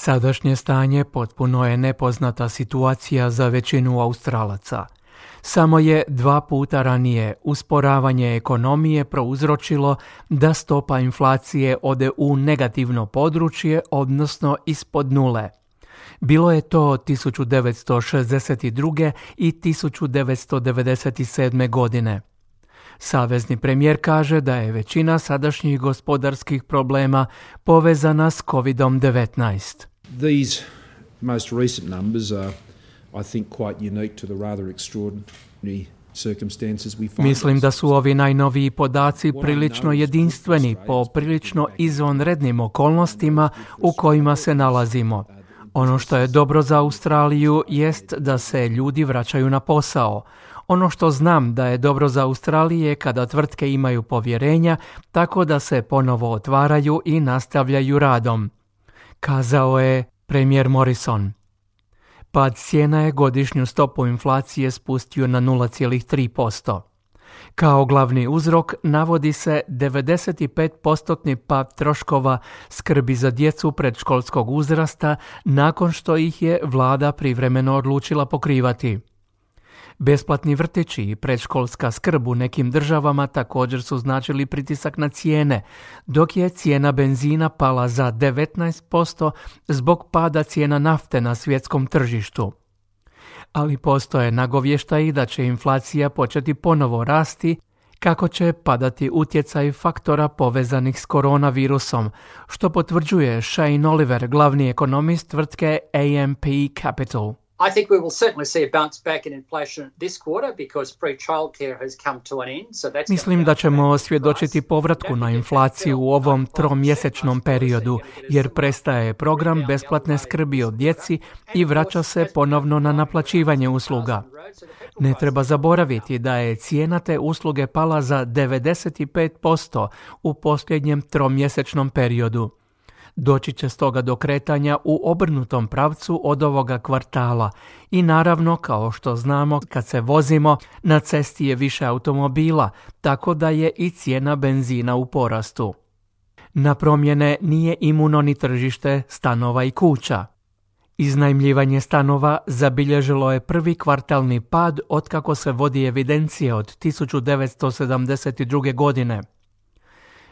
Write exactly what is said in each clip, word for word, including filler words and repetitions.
Sadašnje stanje potpuno je nepoznata situacija za većinu Australaca. Samo je dva puta ranije usporavanje ekonomije prouzročilo da stopa inflacije ode u negativno područje, odnosno ispod nule. Bilo je to tisuću devetsto šezdeset druge. i tisuću devetsto devedeset sedme. godine. Savezni premijer kaže da je većina sadašnjih gospodarskih problema povezana s kovid devetnaest. These most recent numbers are, I think, quite unique to the rather extraordinary circumstances we find. Mislim da su ovi najnoviji podaci prilično jedinstveni po prilično izvanrednim okolnostima u kojima se nalazimo. Ono što je dobro za Australiju jest da se ljudi vraćaju na posao. Ono što znam da je dobro za Australiju je kada tvrtke imaju povjerenja, tako da se ponovo otvaraju i nastavljaju radom, kazao je premijer Morrison. Pad cijena je godišnju stopu inflacije spustio na nula zarez tri posto. Kao glavni uzrok navodi se devedeset pet posto pad troškova skrbi za djecu predškolskog uzrasta nakon što ih je vlada privremeno odlučila pokrivati. Besplatni vrtići i predškolska skrb u nekim državama također su značili pritisak na cijene, dok je cijena benzina pala za devetnaest posto zbog pada cijena nafte na svjetskom tržištu. Ali postoje nagovještaji da će inflacija početi ponovo rasti kako će padati utjecaj faktora povezanih s koronavirusom, što potvrđuje Shane Oliver, glavni ekonomist tvrtke A M P Capital. I think we will certainly see a bounce back in inflation this quarter because free childcare has come to an end. So that's Mislim da ćemo svjedočiti povratku na inflaciju u ovom tromjesečnom periodu, jer prestaje program besplatne skrbi o djeci i vraća se ponovno na naplaćivanje usluga. Ne treba zaboraviti da je cijena te usluge pala za devedeset pet posto u posljednjem tromjesečnom periodu. Doći će stoga do kretanja u obrnutom pravcu od ovoga kvartala i naravno, kao što znamo, kad se vozimo, na cesti je više automobila, tako da je i cijena benzina u porastu. Na promjene nije imuno ni tržište stanova i kuća. Iznajmljivanje stanova zabilježilo je prvi kvartalni pad otkako se vodi evidencije od tisuću devetsto sedamdeset druge. godine.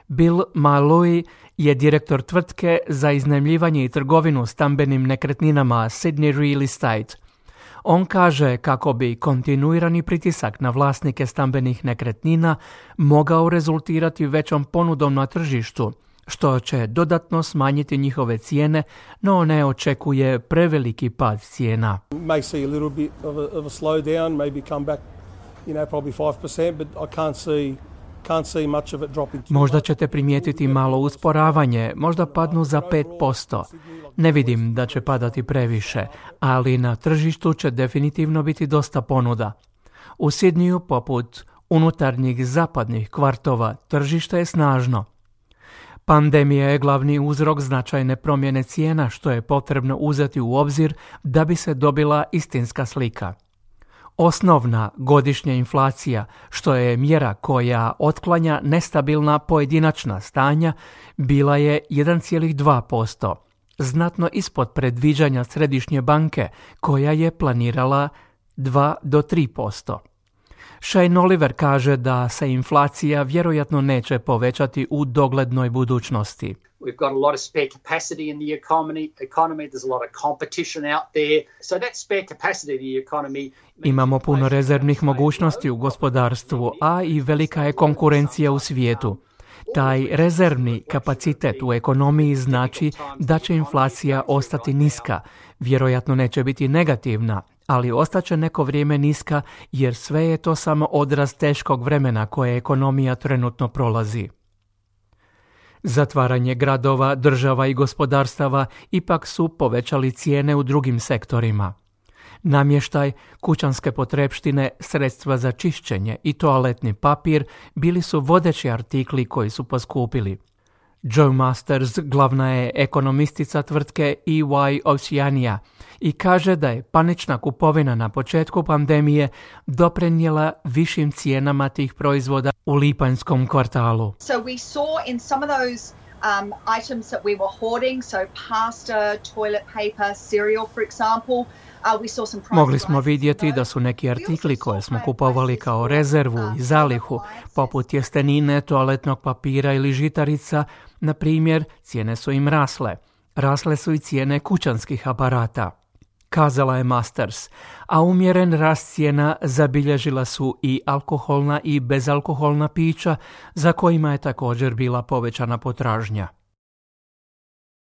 Bill Malloy je direktor tvrtke za iznajmljivanje i trgovinu stambenim nekretninama Sydney Real Estate. On kaže kako bi kontinuirani pritisak na vlasnike stambenih nekretnina mogao rezultirati većom ponudom na tržištu, što će dodatno smanjiti njihove cijene, no ne očekuje preveliki pad cijena. May see a little bit of a, of a slowdown, maybe come back, you know, probably five percent, but I can't see Možda ćete primijetiti malo usporavanje, možda padnu za pet posto. Ne vidim da će padati previše, ali na tržištu će definitivno biti dosta ponuda. U Sydneyu, poput unutarnjih zapadnih kvartova, tržište je snažno. Pandemija je glavni uzrok značajne promjene cijena, što je potrebno uzeti u obzir da bi se dobila istinska slika. Osnovna godišnja inflacija, što je mjera koja otklanja nestabilna pojedinačna stanja, bila je jedan zarez dva posto, znatno ispod predviđanja središnje banke koja je planirala dva do tri posto. Shane Oliver kaže da se inflacija vjerojatno neće povećati u doglednoj budućnosti. We've got a lot of spare capacity in the economy. economy. There's a lot of competition out there. So that spare capacity in the economy... Imamo puno rezervnih mogućnosti u gospodarstvu, a i velika je konkurencija u svijetu. Taj rezervni kapacitet u ekonomiji znači da će inflacija ostati niska. Vjerojatno neće biti negativna, ali ostaće neko vrijeme niska jer sve je to samo odraz teškog vremena koje ekonomija trenutno prolazi. Zatvaranje gradova, država i gospodarstava ipak su povećali cijene u drugim sektorima. Namještaj, kućanske potrepštine, sredstva za čišćenje i toaletni papir bili su vodeći artikli koji su poskupili. Joe Masters glavna je ekonomistica tvrtke E Y Oceania i kaže da je panična kupovina na početku pandemije doprinijela višim cijenama tih proizvoda u lipanjskom kvartalu. So we saw in some of those Um, items that we were hoarding, so pasta, toilet paper, cereal, for example. Uh, we saw some price Mogli smo vidjeti da su neki artikli koje smo kupovali kao rezervu i zalihu, poput tjestenine, toaletnog papira ili žitarica, na primjer, cijene su im rasle. Rasle su i cijene kućanskih aparata, kazala je Masters, a umjeren rast cijena zabilježila su i alkoholna i bezalkoholna pića, za kojima je također bila povećana potražnja.